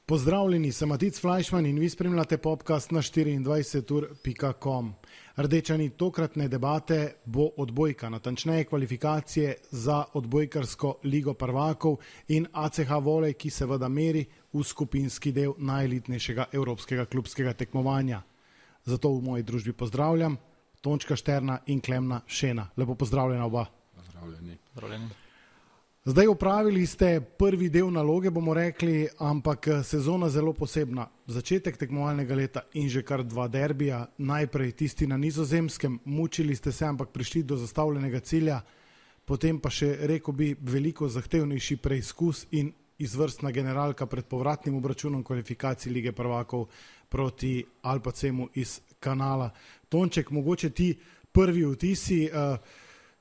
Pozdravljeni, sem Matic Flajšman in vi spremljate podcast na 24ur.com. Rdeča nit tokratne debate bo odbojka, natančneje kvalifikacije za odbojkarsko ligo prvakov in ACH Volej, ki seveda meri v skupinski del najelitnejšega evropskega klubskega tekmovanja. Zato v moji družbi pozdravljam Tončka Šterna in Klemna Šena. Lepo pozdravljena oba. Pozdravljeni. Zdaj opravili ste prvi del naloge, bomo rekli, ampak sezona zelo posebna. Začetek tekmovalnega leta in že kar 2 derbija, najprej tisti na Nizozemskem, mučili ste se, ampak prišli do zastavljenega cilja, potem pa še, rekel bi, veliko zahtevnejši preizkus in izvrstna generalka pred povratnim obračunom kvalifikacij Lige prvakov proti Alpacemu iz Kanala. Tonček, mogoče ti prvi vtisi.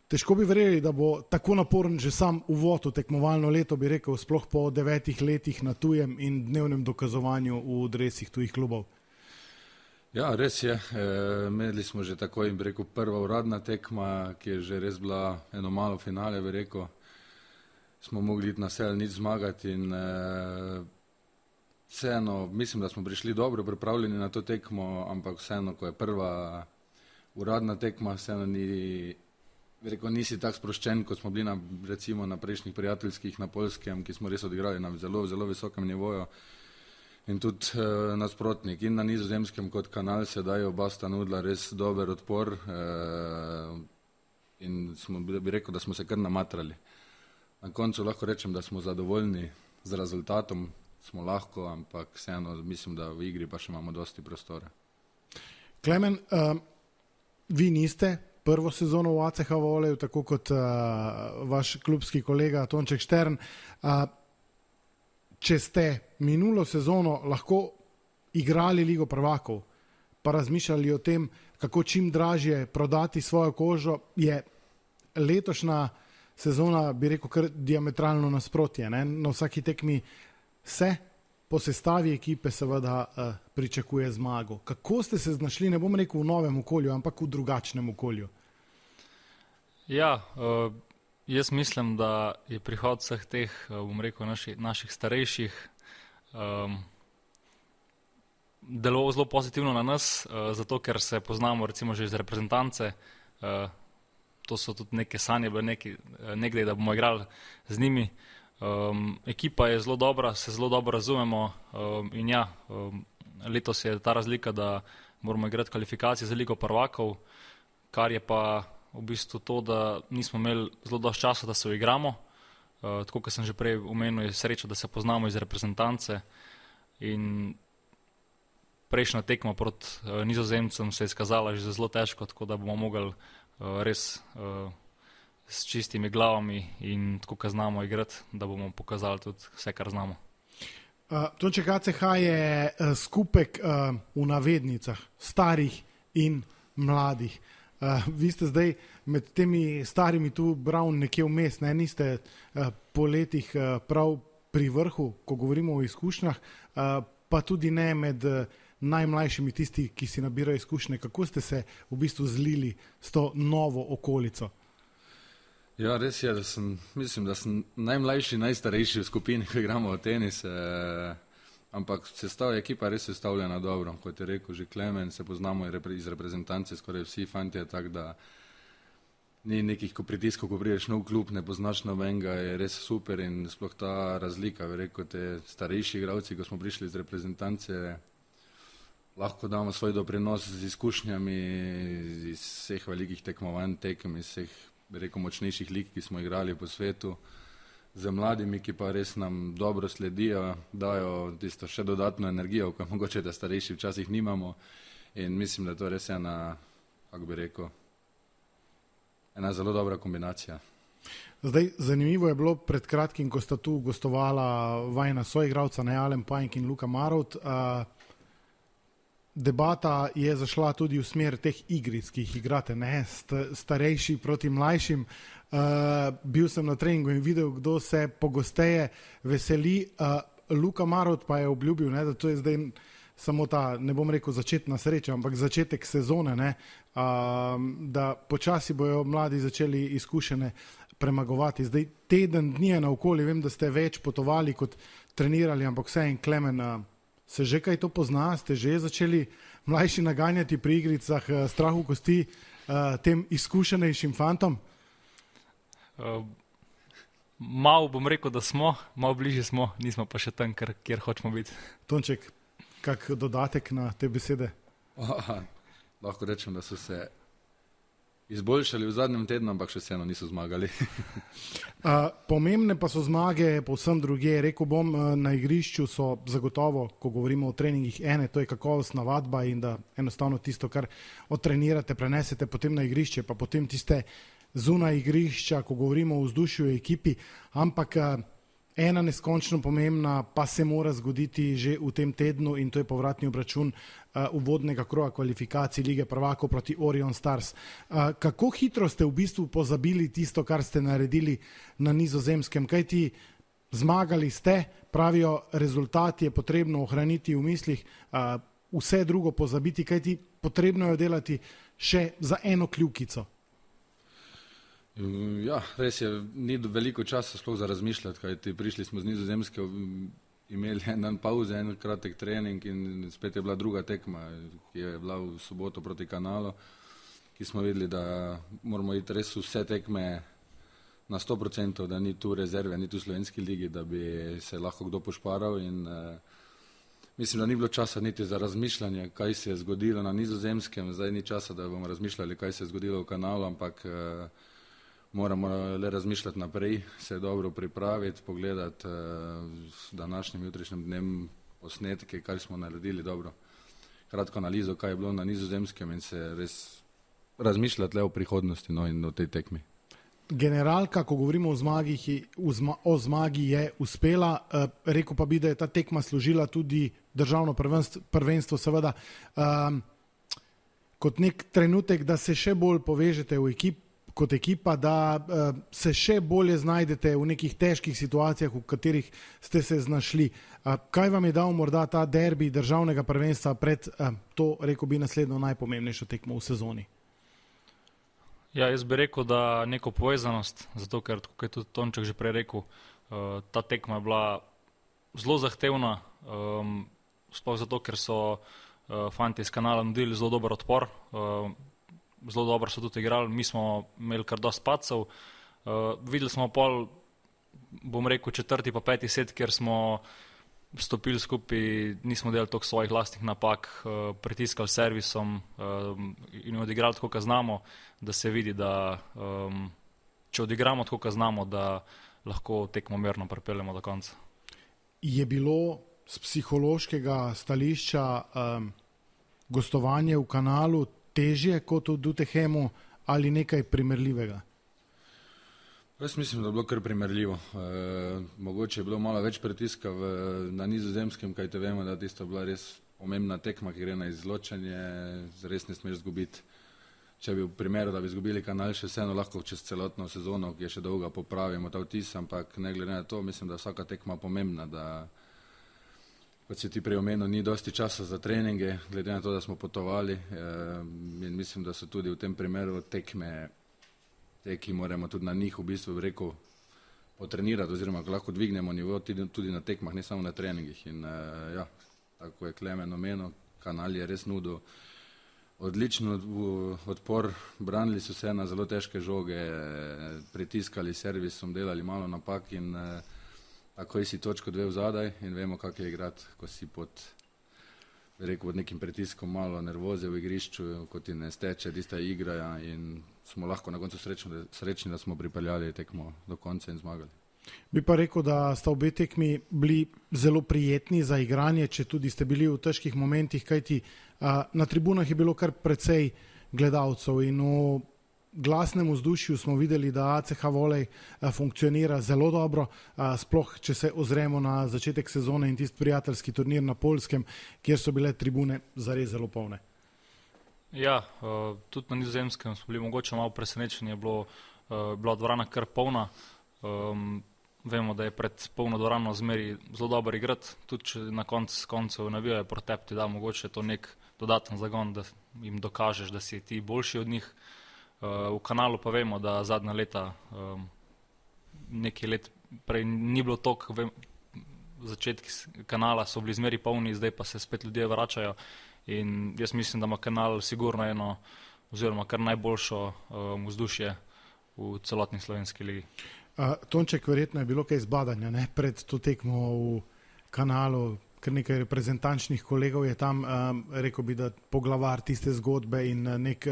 Težko bi verjeli, da bo tako naporen že sam uvod v tekmovalno leto, bi rekel, sploh po 9 letih na tujem in dnevnem dokazovanju v dresih tujih klubov. Ja, res je. Imeli smo že tako in bi rekel prva uradna tekma, ki je že res bila eno malo finale, bi rekel. Smo mogli iti na sel nič zmagati in vseeno, mislim, da smo prišli dobro pripravljeni na to tekmo, ampak vseeno, ko je prva uradna tekma, vseeno nisi tak sproščen, kot smo bili recimo na prejšnjih prijateljskih na Poljskem, ki smo res odigrali na zelo, zelo visokem nivoju. In tudi nasprotnik in na Nizozemskem kot Kanal sedaj oba sta nudila res dober odpor in bi rekel, da smo se kar namatrali. Na koncu lahko rečem, da smo zadovoljni z rezultatom, smo lahko, ampak vseeno mislim, da v igri pa še imamo dosti prostora. Klemen, vi niste prvo sezono v ACH Voleju, tako kot vaš klubski kolega Tonček Štern. Če ste minulo sezono lahko igrali Ligo prvakov, pa razmišljali o tem, kako čim dražje prodati svojo kožo, je letošnja sezona, bi rekel, kar diametralno nasprotje. Ne? Na vsaki tekmi se po sestavi ekipe seveda pričakuje zmago. Kako ste se znašli, ne bom rekel v novem okolju, ampak v drugačnem okolju? Ja, jaz mislim, da je prihod vseh teh, bom rekel, naših starejših deloval zelo pozitivno na nas, zato ker se poznamo recimo že iz reprezentance. To so tudi neke sanje, nekdaj, da bomo igrali z njimi. Ekipa je zelo dobra, se zelo dobro razumemo in ja, letos je ta razlika, da moramo igrati kvalifikacije za Ligo prvakov, kar je pa v bistvu to, da nismo imeli zelo dosti časa, da se uigramo. Tako, kot sem že prej omenil, je sreča, da se poznamo iz reprezentance in prejšnja tekma proti Nizozemcem se je izkazala že zelo težko, tako da bomo mogli res s čistimi glavami in tako, kot znamo igrati, da bomo pokazali tudi vse, kar znamo. Tonček, ACH je skupek v navednicah starih in mladih. Vi ste zdaj med temi starimi tu bral nekje vmes, ne? Niste po letih prav pri vrhu, ko govorimo o izkušnjah, pa tudi ne med najmlajšimi tisti, ki si nabirajo izkušnje. Kako ste se v bistvu zlili s to novo okolico? Ja, res je, mislim, da sem najmlajši, najstarejši v skupini, ko igramo v tenis, ampak ekipa res je sestavljena dobro. Kot je rekel že Klemen, se poznamo iz reprezentance, skoraj vsi fantje, tako da ni nekih pritiskov, ko prideš nov klub, ne poznaš nobenega, je res super in sploh ta razlika, bi rekel, te starejši igralci, ko smo prišli iz reprezentance, lahko damo svoj doprinos z izkušnjami iz vseh velikih tekmovanj, tekem, iz vseh, bi rekel, močnejših lig, ki smo igrali po svetu, z mladimi, ki pa res nam dobro sledijo, dajo tisto še dodatno energijo, ko mogoče da starejši včasih nimamo in mislim, da to res je kako bi rekel, ena zelo dobra kombinacija. Zdaj, zanimivo je bilo pred kratkim, ko sta tu gostovala vajna soigralca, Alen Pajnk in Luka Marovt. Debata je zašla tudi v smer teh igric, ki jih igrate, ne, starejši proti mlajšim. Bil sem na treningu in videl, kdo se pogosteje veseli. Luka Marovt pa je obljubil, ne, da to je zdaj samo ta, ne bom rekel začetna sreča, ampak začetek sezone, ne, da počasi bojo mladi začeli izkušene premagovati. Zdaj teden dni je naokoli, vem, da ste več potovali kot trenirali, ampak vse en Klemen, se že kaj to pozna? Ste že začeli mlajši naganjati pri igricah strahu kosti tem izkušenejšim fantom? Malo bom rekel, da smo, malo bližje smo, nismo pa še tam, kjer hočemo biti. Tonček, kak dodatek na te besede? Lahko rečem, da so se izboljšali v zadnjem tednu, ampak še vseeno niso zmagali. Pomembne pa so zmage povsem drugje. Rekel bom, na igrišču so zagotovo, ko govorimo o treningih, to je kakovostna vadba in da enostavno tisto, kar odtrenirate, prenesete potem na igrišče, pa potem tiste zunaj igrišča, ko govorimo o vzdušju ekipi, ampak ena neskončno pomembna pa se mora zgoditi že v tem tednu in to je povratni obračun uvodnega kroga kvalifikacij Lige prvakov proti Orion Stars. Kako hitro ste v bistvu pozabili tisto, kar ste naredili na Nizozemskem? Kajti zmagali ste, pravijo, rezultat je potrebno ohraniti v mislih, vse drugo pozabiti, kajti potrebno je delati še za eno kljukico. Ja, res je, ni veliko časa sploh za razmišljati, kajti prišli smo z Nizozemske, imeli en dan pauze, en kratek trening in spet je bila druga tekma, ki je bila v soboto proti Kanalu, ki smo videli, da moramo iti res vse tekme na 100%, da ni tu rezerve, ni tu v slovenski ligi, da bi se lahko kdo pošparal in mislim, da ni bilo časa niti za razmišljanje, kaj se je zgodilo na Nizozemskem, zdaj ni časa, da bomo razmišljali, kaj se je zgodilo v Kanalu, ampak moramo le razmišljati naprej, se dobro pripraviti, pogledati s današnjim jutrišnjim dnem posnetke, kaj smo naredili dobro. Kratko analizo, kaj je bilo na Nizozemskem in se res razmišljati le o prihodnosti in o tej tekmi. Generalka, ko govorimo o zmagi, je uspela. Rekel pa bi, da je ta tekma služila tudi državno prvenstvo, seveda kot nek trenutek, da se še bolj povežete kot ekipa, da se še bolje znajdete v nekih težkih situacijah, v katerih ste se znašli. Kaj vam je dal morda ta derbi državnega prvenstva pred to, rekel bi, naslednjo najpomembnejšo tekmo v sezoni? Ja, jaz bi rekel, da neko povezanost, zato ker, kot je tudi Tonček že prej rekel, ta tekma je bila zelo zahtevna, sploh zato, ker so fanti iz Kanala nudili zelo dober odpor, zelo dobro so tudi igrali, mi smo imeli kar dosti padcev. Videli smo pol, bom rekel, 4. pa 5. set, kjer smo stopili skupaj, nismo delali toliko svojih lastnih napak, pritiskali servisom in odigrali tako, kot znamo, da se vidi, da če odigramo tako, kot znamo, da lahko tekmo mirno pripeljemo do konca. Je bilo z psihološkega stališča gostovanje v Kanalu težje kot v Dutehemu ali nekaj primerljivega? Jaz mislim, da je bilo kar primerljivo. Mogoče je bilo malo več pritiska na Nizozemskem, kajte vemo, da tista bila res pomembna tekma, ki gre na izločanje, res ne smeš zgubiti. Če bi v primeru, da bi zgubili Kanal, še vseeno lahko čez celotno sezono, ki je še dolga, popravimo ta vtis, ampak ne glede na to, mislim, da vsaka tekma pomembna, da kot si ti prej omenil, ni dosti časa za treninge, glede na to, da smo potovali in mislim, da so tudi v tem primeru tekme, ki moramo tudi na njih v bistvu rekel potrenirati oziroma lahko dvignemo nivo tudi na tekmah, ne samo na treningih. In ja, tako je Klemen omenil, Kanal je res nudil odličen odpor, branili so se na zelo težke žoge, pritiskali servisom, delali malo napak in takoj si točko 2 vzadaj in vemo, kako je igrati, ko si pod nekim pritiskom, malo nervoze v igrišču, ko ti ne steče tista igra in smo lahko na koncu srečni, da smo pripeljali tekmo do konca in zmagali. Bi pa rekel, da sta obe tekmi bili zelo prijetni za igranje, če tudi ste bili v težkih momentih, kajti na tribunah je bilo kar precej gledalcev in v glasnem vzdušju smo videli, da ACH Volej funkcionira zelo dobro, sploh če se ozremo na začetek sezone in tisti prijateljski turnir na Poljskem, kjer so bile tribune zares zelo polne. Ja, tudi na Nizozemskem smo bili mogoče malo presenečeni, je bila dvorana kar polna. Vemo, da je pred polno dvorano zmeri zelo dobro igrati, tudi če na koncu navijajo proti tebi, da mogoče to nek dodaten zagon, da jim dokažeš, da si ti boljši od njih. V Kanalu pa vemo, da zadnja leta, nekaj let prej ni bilo toliko, začetki Kanala so bili zmeri polni, zdaj pa se spet ljudje vračajo in jaz mislim, da ima Kanal sigurno eno oziroma kar najboljšo vzdušje v celotni slovenski ligi. Tonček, verjetno je bilo kaj zbadanja, ne? Pred to tekmo v Kanalu, ker nekaj reprezentančnih kolegov je tam, rekel bi, da poglavar tiste zgodbe in nek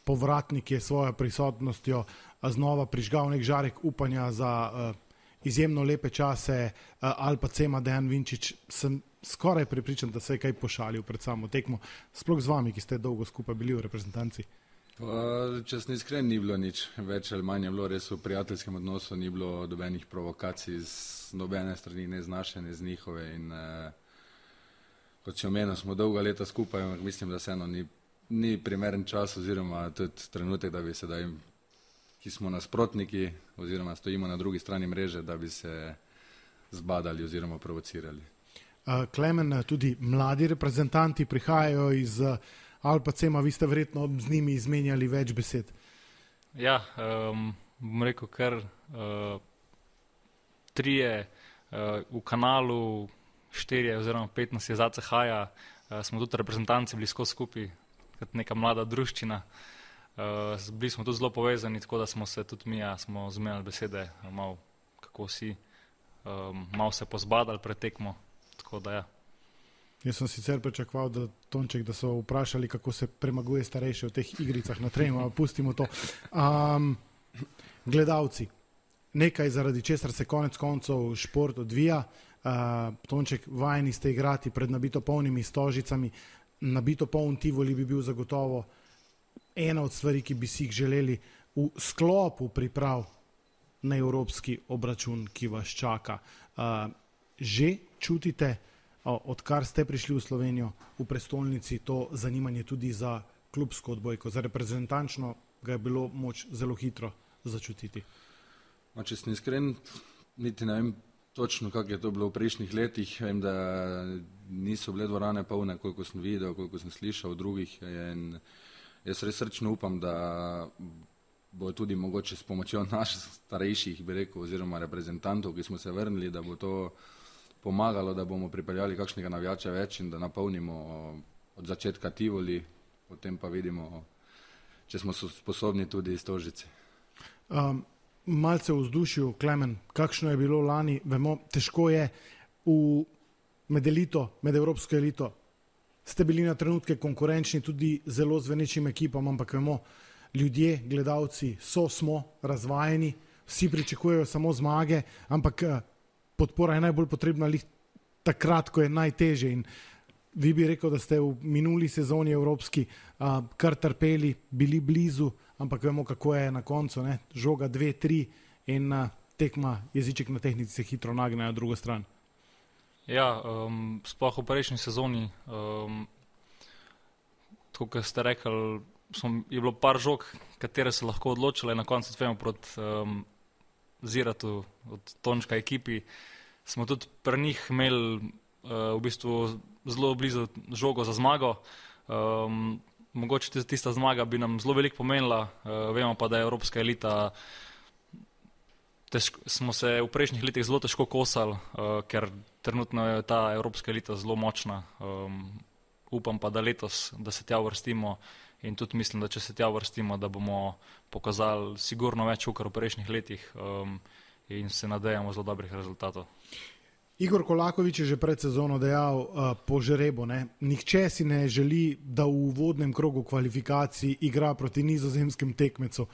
povratnik je svojo prisotnostjo znova prižgal nek žarek upanja za izjemno lepe čase. Alpa Cema, Dejan Vinčič, sem skoraj prepričan, da se je kaj pošalil pred samo tekmo, sploh z vami, ki ste dolgo skupaj bili v reprezentanci. Če sem iskren, ni bilo nič več ali manj, je bilo res v prijateljskem odnosu, ni bilo dobenih provokacij z nobene strani, ne z naše, ne z njihove in kot si omenil, smo dolga leta skupaj, ampak mislim, da se eno ni primeren čas oziroma tudi trenutek, da bi sedaj, ki smo nasprotniki oziroma stojimo na drugi strani mreže, da bi se zbadali oziroma provocirali. Klemen, tudi mladi reprezentanti prihajajo iz Alpa Cema, vi ste verjetno z njimi izmenjali več besed. Ja, bom rekel kar 3 v Kanalu, 4 oziroma 5 nas je za CH-ja, smo tudi reprezentanci bili skozi skupaj, kot neka mlada druščina. Bili smo tudi zelo povezani, tako da smo se tudi mi, smo zmenjali besede, malo kako si, malo se pozbadali pred tekmo, tako da ja. Jaz sem sicer pričakoval, da Tonček, da so vprašali, kako se premaguje starejše v teh igricah na trenu, a pustimo to. Gledalci, nekaj zaradi česar se konec koncev šport odvija. Tonček, vajeni ste igrati pred nabito polnimi stožicami, nabito poln Tivoli bi bil zagotovo ena od stvari, ki bi si jih želeli v sklopu priprav na evropski obračun, ki vas čaka. Že čutite, odkar ste prišli v Slovenijo, v prestolnici, to zanimanje tudi za klubsko odbojko, za reprezentančno ga je bilo moč zelo hitro začutiti? Če sem iskren, niti ne vem točno, kako je to bilo v prejšnjih letih. Vem, da niso bile dvorane polne, koliko sem videl, koliko sem slišal od drugih. In jaz res srčno upam, da bo tudi mogoče s pomočjo naših starejših, bi rekel, oziroma reprezentantov, ki smo se vrnili, da bo to pomagalo, da bomo pripeljali kakšnega navijača več in da napolnimo od začetka Tivoli, potem pa vidimo, če smo sposobni tudi stožice. Malce v vzdušju, Klemen, kakšno je bilo lani? Vemo, težko je med elito, med evropsko elito. Ste bili na trenutke konkurenčni tudi zelo zvenečim ekipam, ampak vemo, ljudje, gledalci smo razvajeni, vsi pričakujejo samo zmage, ampak podpora je najbolj potrebna takrat, ko je najtežje. In vi bi rekel, da ste v minuli sezoni evropski kar trpeli, bili blizu, ampak vemo, kako je na koncu, ne? Žoga 2-3 in tekma, jeziček na tehnici se hitro nagne na drugo stran. Ja, sploh v prejšnji sezoni, tako kot ste rekli, je bilo par žog, katere se lahko odločile, na koncu tvemo proti Ziratu od Tončka ekipi, smo tudi pri njih imeli v bistvu zelo blizu žogo za zmago. Mogoče tista zmaga bi nam zelo veliko pomenila, vemo pa, da je evropska elita, smo se v prejšnjih letih zelo težko kosali, ker trenutno je ta evropska elita zelo močna. Upam pa, da letos, da se tja uvrstimo in tudi mislim, da če se tja uvrstimo, da bomo pokazali sigurno več kot v prejšnjih letih in se nadejamo zelo dobrih rezultatov. Igor Kolakovič je že pred sezono dejal po žrebu, nihče si ne želi, da v uvodnem krogu kvalifikacij igra proti nizozemskem tekmecu.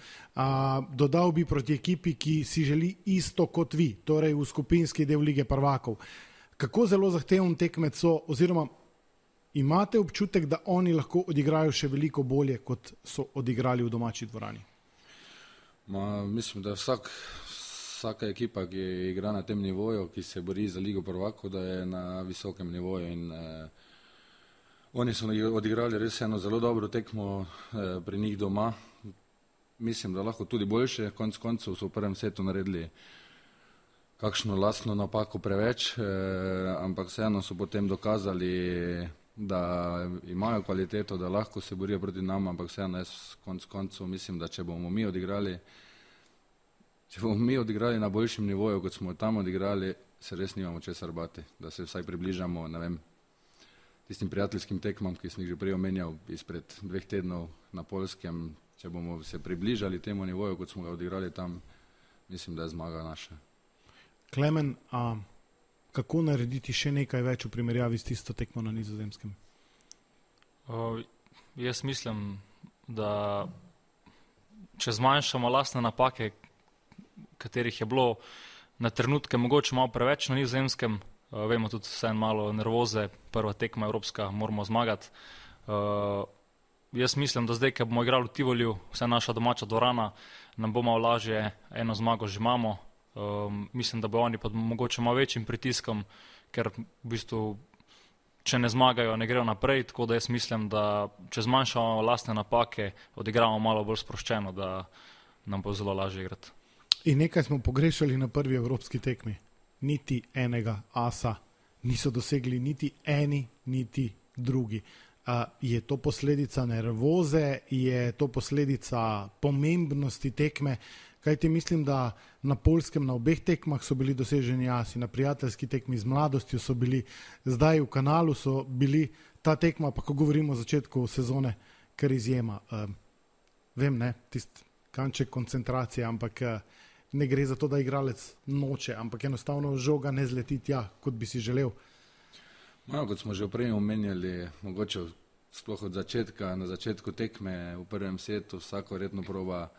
Dodal bi proti ekipi, ki si želi isto kot vi, torej v skupinski del Lige prvakov. Kako zelo zahteven tekmec so, oziroma imate občutek, da oni lahko odigrajo še veliko bolje, kot so odigrali v domači dvorani? Mislim, da vsaka ekipa, ki igra na tem nivoju, ki se bori za Ligo prvakov, da je na visokem nivoju in oni so odigrali res eno zelo dobro tekmo pri njih doma. Mislim, da lahko tudi boljše, konec koncev so v prvem setu naredili kakšno lastno napako preveč, ampak vseeno so potem dokazali da imajo kvaliteto, da lahko se borijo proti nam, ampak vseeno jaz koncu mislim, da če bomo mi odigrali na boljšem nivoju, kot smo tam odigrali, se res nimamo česar bati, da se vsaj približamo, ne vem, tistim prijateljskim tekmam, ki sem jih že prej omenjal izpred 2 tednov na Poljskem. Če bomo se približali temu nivoju, kot smo ga odigrali tam, mislim, da je zmaga naša. Klemen, kako narediti še nekaj več v primerjavi s tisto tekmo na Nizozemskem? Jaz mislim, da če zmanjšamo lastne napake, katerih je bilo na trenutke mogoče malo preveč na Nizozemskem, vemo tudi vseeno malo nervoze, prva tekma evropska, moramo zmagati. Jaz mislim, da zdaj, ko bomo igrali v Tivoliju, vse naša domača dvorana, nam bo malo lažje, eno zmago že imamo. Mislim, da bo oni pod mogoče malo večjim pritiskom, ker v bistvu, če ne zmagajo, ne grejo naprej, tako da jaz mislim, da če zmanjšamo lastne napake, odigramo malo bolj sproščeno, da nam bo zelo lažje igrati. In nekaj smo pogrešali na prvi evropski tekmi. Niti enega asa niso dosegli niti eni, niti drugi. Je to posledica nervoze, je to posledica pomembnosti tekme, kajti mislim, da na Poljskem na obeh tekmah so bili doseženi asi, na prijateljski tekmi z mladostjo so bili, zdaj v Kanalu so bili, ta tekma, pa ko govorimo o začetku sezone, kar izjema. Vem, ne, tisti kanček koncentracije, ampak ne gre za to, da igralec noče, ampak enostavno žoga ne zleti tja, kot bi si želel. Kot smo že prej omenjali, mogoče sploh od začetka, na začetku tekme v prvem setu vsako redno proba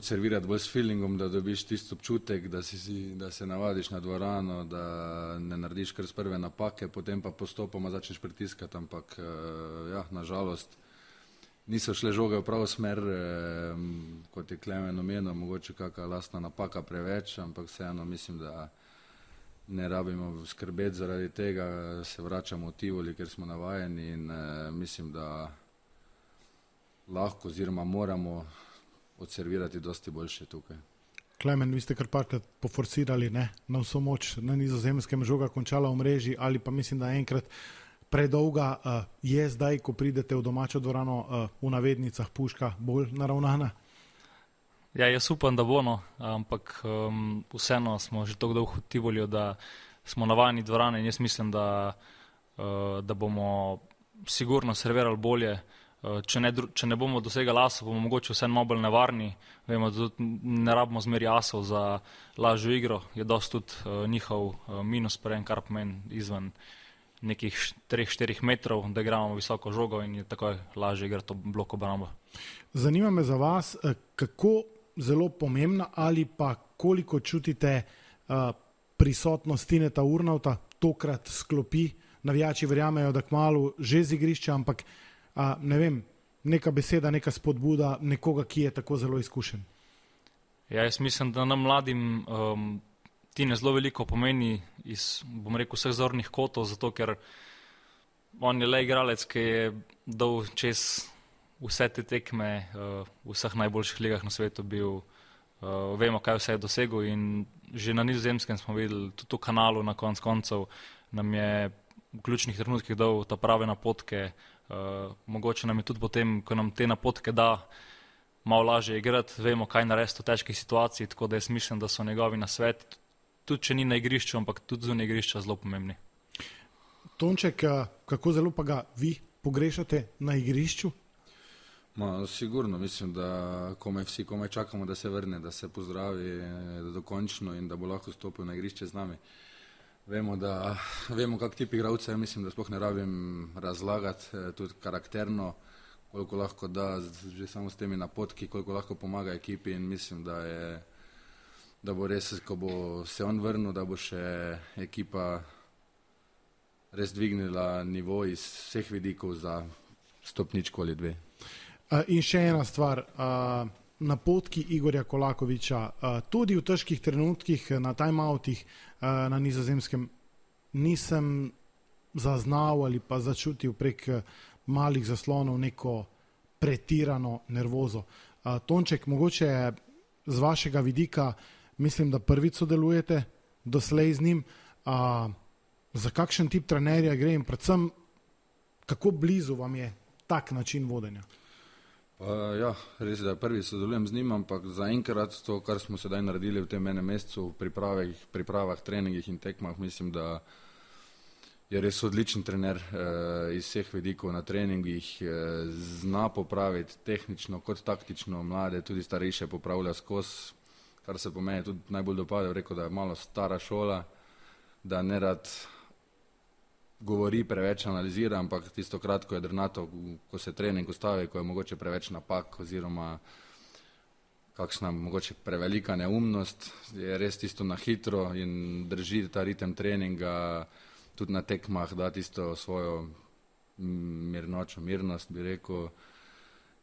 servirati bolj s feelingom, da dobiš tisti občutek, da se navadiš na dvorano, da ne narediš kar z prve napake, potem pa postopoma začneš pritiskati, ampak nažalost niso šle žoge v pravo smer, kot je Klemen omenil, mogoče kakšna lastna napaka preveč, ampak vseeno mislim, da ne rabimo skrbeti zaradi tega, se vračamo v Tivoli, ker smo navajeni in mislim, da lahko oziroma moramo odservirati dosti boljše tukaj. Klemen, vi ste kar parkrat poforsirali, ne, na vso moč na Nizozemskem, žoga končala v mreži ali pa mislim, da enkrat predolga. Je zdaj, ko pridete v domačo dvorano, v navednicah puška bolj naravnana? Ja, jaz upam, da bo, ampak vseeno smo že tako dolgo v Tivoliju, da smo navajeni dvorane in jaz mislim, da bomo sigurno servirali bolje. Če ne bomo dosegali asov, bomo mogoče vseeno malo bolj nevarni. Vemo, da tudi ne rabimo zmeri asov za lažjo igro. Je dosti tudi njihov minus prejem, kar pomeni izven nekih 3-4 metrov, da igramo visoko žogo in je takoj lažje igrati to blok obrambo. Zanima me za vas, kako zelo pomembna ali pa koliko čutite prisotnost Tineta Urnauta, tokrat sklopi, navijači verjamejo, da kmalu že z igrišča, ampak ne vem, neka beseda, neka spodbuda nekoga, ki je tako zelo izkušen. Ja, jaz mislim, da nam mladim Tine zelo veliko pomeni iz, bom rekel, vseh zornih kotov, zato ker on je le igralec, ki je dal čez vse te tekme v vseh najboljših ligah na svetu bil, vemo, kaj vse je dosegel in že na Nizozemskem smo videli, tudi v Kanalu na koncev nam je v ključnih trenutkih dal ta prave napotke. Mogoče nam je tudi potem, ko nam te napotke da, malo lažje igrati, vemo, kaj narediti v težkih situaciji, tako da jaz mislim, da so njegovi nasveti, tudi če ni na igrišču, ampak tudi zunaj igrišča zelo pomembni. Tonček, kako zelo pa ga vi pogrešate na igrišču? Sigurno, mislim, da vsi komaj čakamo, da se vrne, da se pozdravi dokončno in da bo lahko stopil na igrišče z nami. Vemo, kak tip igralca, mislim, da sploh ne rabim razlagati, tudi karakterno, koliko lahko da, že samo s temi napotki, koliko lahko pomaga ekipi in mislim, da bo res, ko bo se on vrnil, da bo še ekipa res dvignila nivo iz vseh vidikov za stopničko ali 2. In še ena stvar, napotki Igorja Kolakoviča, tudi v težkih trenutkih na timeoutih na Nizozemskem nisem zaznal ali pa začutil prek malih zaslonov neko pretirano nervozo. Tonček, mogoče z vašega vidika, mislim, da prvič sodelujete doslej z njim, Za kakšen tip trenerja gre in predvsem, kako blizu vam je tak način vodenja? Ja, res je, da prvi sodelujem z njim, ampak zaenkrat to, kar smo sedaj naredili v tem enem mesecu v pripravah, treningih in tekmah, mislim, da je res odličen trener iz vseh vidikov na treningih, zna popraviti tehnično kot taktično mlade, tudi starejše popravlja skozi, kar se po meni tudi najbolj dopada, rekel, da je malo stara šola, da ne rad govori, preveč analizira, ampak tisto kratko jedrnato, ko se trening ustavi, ko je mogoče preveč napak oziroma kakšna mogoče prevelika neumnost, je res tisto na hitro in drži ta ritem treninga, tudi na tekmah da tisto svojo mirnost, bi rekel,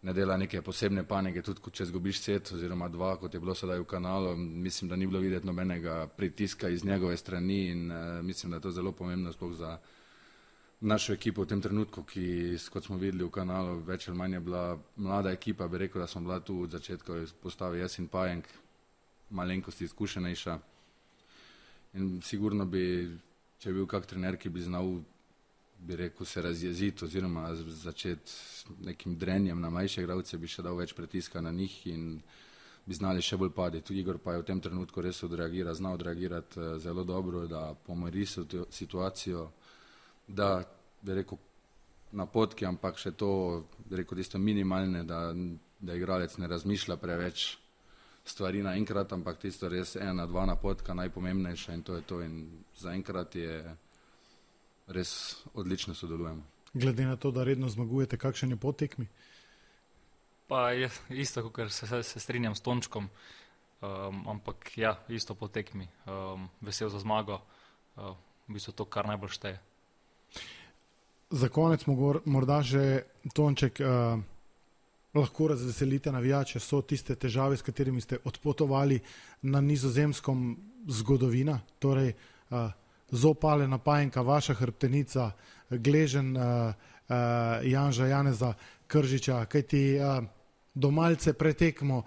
ne dela neke posebne panike, tudi če zgubiš set oziroma dva, kot je bilo sedaj v Kanalu, mislim, da ni bilo videti nobenega pritiska iz njegove strani in mislim, da je to zelo pomembno sploh za našo ekipo v tem trenutku, ki, kot smo videli v Kanalu, več ali manj je bila mlada ekipa, bi rekel, da smo bila tu od začetka postavi jaz in Pajenk, malenkosti izkušenejša. In sigurno bi, če je bil kak trener, ki bi znal, bi rekel, se razjeziti oziroma začeti s nekim drenjem na mlajše igralce, bi še dal več pritiska na njih in bi znali še bolj paditi. Igor pa je v tem trenutku res znal odreagirati zelo dobro, da pomiri situacijo, da, bi rekel, napotki, ampak še to, bi rekel, tisto minimalne, da igralec ne razmišlja preveč stvari naenkrat, ampak tisto res 1-2 napotka najpomembnejša in to je to in zaenkrat je res odlično sodelujemo. Glede na to, da redno zmagujete, kakšen je po tekmi? Pa je isto, kot se strinjam s Tončkom, ampak ja, isto po tekmi. Vesel za zmago, v bistvu to, kar najbolj šteje. Za konec morda že, Tonček, lahko razveselite navijače, so tiste težave, s katerimi ste odpotovali na Nizozemskom zgodovina, torej Zopale, Pajenka, vaša hrbtenica, Gležen, Janža, Janeza, Kržiča, kajti do malce pretekmo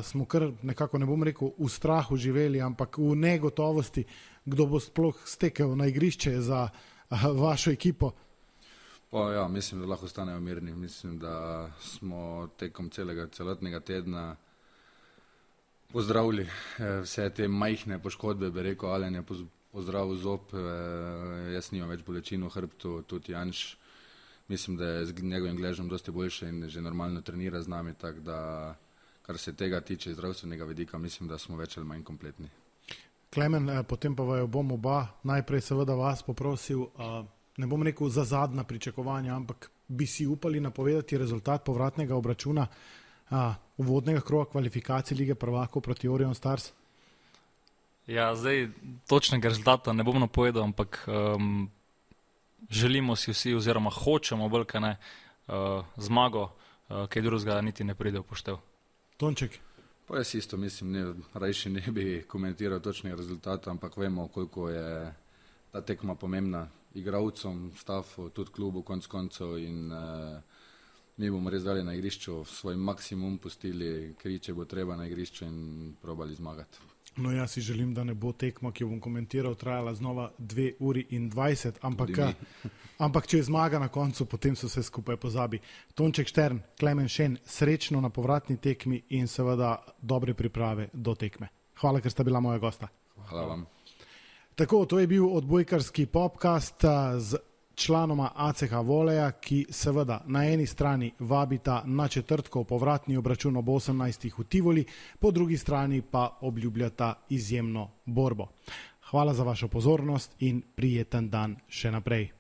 smo kar nekako, ne bom rekel, v strahu živeli, ampak v negotovosti, kdo bo sploh stekel na igrišče za vašo ekipo. Pa ja, mislim, da lahko ostanejo mirni. Mislim, da smo tekom celotnega tedna pozdravili vse te majhne poškodbe, bi rekel, Alen je pozdravil zob, jaz nimam več bolečin v hrbtu, tudi Janš, mislim, da je z njegovim Gležem dosti boljše in že normalno trenira z nami, tako da, kar se tega tiče zdravstvenega vidika, mislim, da smo več ali manj kompletni. Klemen, potem pa vaju bom oba, najprej seveda vas poprosil, ne bom rekel za zadnja pričakovanja, ampak bi si upali napovedati rezultat povratnega obračuna uvodnega kroga kvalifikacij Lige prvakov proti Orion Stars? Ja, zdaj točnega rezultata ne bom napovedal, ampak želimo si vsi oziroma hočemo bolj, kaj ne, zmago, kaj drugega niti ne pride v poštev. Tonček? Pa jaz isto mislim, rajši ne bi komentiral točnega rezultata, ampak vemo, koliko je ta tekma pomembna igralcem, stafu, tudi klubu konec koncev in mi bomo res dali na igrišču svoj maksimum, pustili kri, če bo treba na igrišču in probali zmagati. No, jaz si želim, da ne bo tekma, ki jo bom komentiral, trajala znova 2 uri in 20, ampak če je zmaga na koncu, potem se vse skupaj pozabi. Tonček Štern, Klemen Šen, srečno na povratni tekmi in seveda dobre priprave do tekme. Hvala, ker sta bila moja gosta. Hvala vam. Tako, to je bil odbojkarski podcast z članoma ACH Voleja, ki seveda na eni strani vabita na četrtkov povratni obračun ob 18. v Tivoli, po drugi strani pa obljubljata izjemno borbo. Hvala za vašo pozornost in prijeten dan še naprej.